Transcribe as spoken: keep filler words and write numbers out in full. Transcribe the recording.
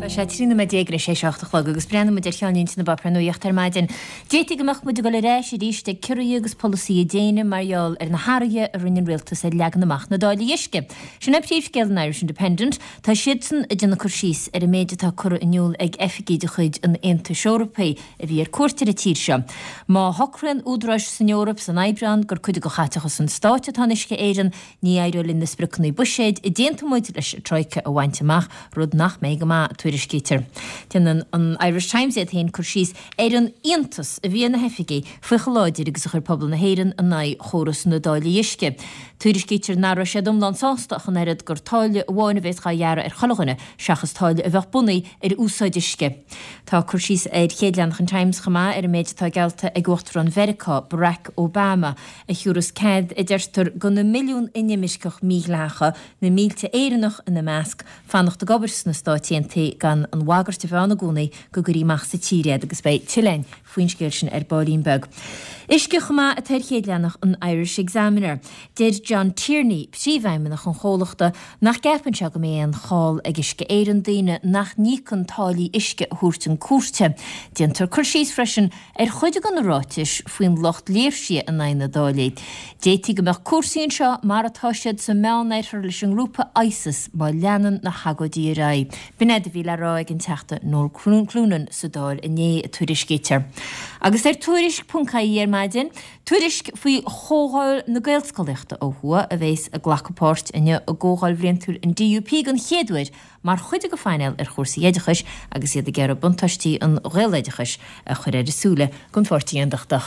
Tá sé trí nóiméad déag tar éis a seacht a chlog agus breathnóidh muid ar cheannlínte na bpáipéar nuachta ar maidin. D'fhéadfaí go mbeadh muid ag dul ar ais arís ag ciorruithe agus polasaithe déine mar gheall ar na hathruithe a rinne an rialtas ar leagan amach na dtáillí uisce. Sin é príomhscéal an Irish Independent. Tá siadsan ag déanamh cur síos ar an méid atá curtha in iúl ag oifigigh de chuid an Aontais Eorpaigh a bhí ar cuairt ar an tír seo. Má shocraíonn údaráis san Eoraip san Aibreán gur cuid de chaiteachas an stáit atá in Uisce Éireann, ní éireoidh linn na spriocanna buiséid a d'aontaigh muid leis an Troika a bhaint amach, rud nach mbeidh go maith, tuairiscítear. Déanann an Irish Times iad féin cur síos ar an iontas a bhí ar na hoifigigh faoi chomh láidir agus a chuir pobal na hÉireann in aghaidh chóras na dtáillí uisce. Tuairiscítear nach raibh siad iomlán sásta ach an oiread gur táille amháin a bheas á ghearradh ar chuile dhuine seachas táille a bheadh bunaithe ar úsáid uisce. Tá cur síos ar chéad leathanach an Times chomh maith ar an méid atá geallta ag Uachtarán Mheiriceá, Barack Obama, a thiúrfas cead, a deirtear, do na milliún inimirceach mídhleathacha, na mílte Éireannach ina measc, fanacht ag obair sna Stáit Aontaithe gan an bhagairt a bheith ann i gcónaí go gcuirfí amach as an tír iad agus beidh tuilleadh againn faoin scéal sin ar baillín beag. Uisce chomh maith atá ar chéad leathanach an Irish Examiner. Deir John Tierney, príomhfheidhmeannach an chomhlachta, nach gceapann sé go mbeidh aon chall ag Uisce Éireann daoine nach n-íocann táillí uisce a thabhairt chun cúirte. Déantar cur síos freisin ar chuid de na ráitis faoin lucht léirsithe in aghaidh na dtáillí. D'fhéadfaí go mbeadh cúrsaí anseo mar atá siad sa Meánoirthear leis an ngrúpa ISIS má leanann na hagóidí ar aghaidh. B'in é a bhí le rá ag an Teachta Noel Cloonan sa Dáil inné, a tuairiscítear. Agus ar Tuairisc ponc ie ar maidin, tuairisc faoi Chomhdháil na Gaelscolaíochta ó thuaidh a bheas ag glacadh páirt inniu i gcomhdháil bhliantúil an DUP den chéad uair mar chuid de phainéal ar chúrsaí oideachais agus iad ag iarraidh buntáistí an Ghaeloideachais a chur ar a súile don pháirtí aontachtach.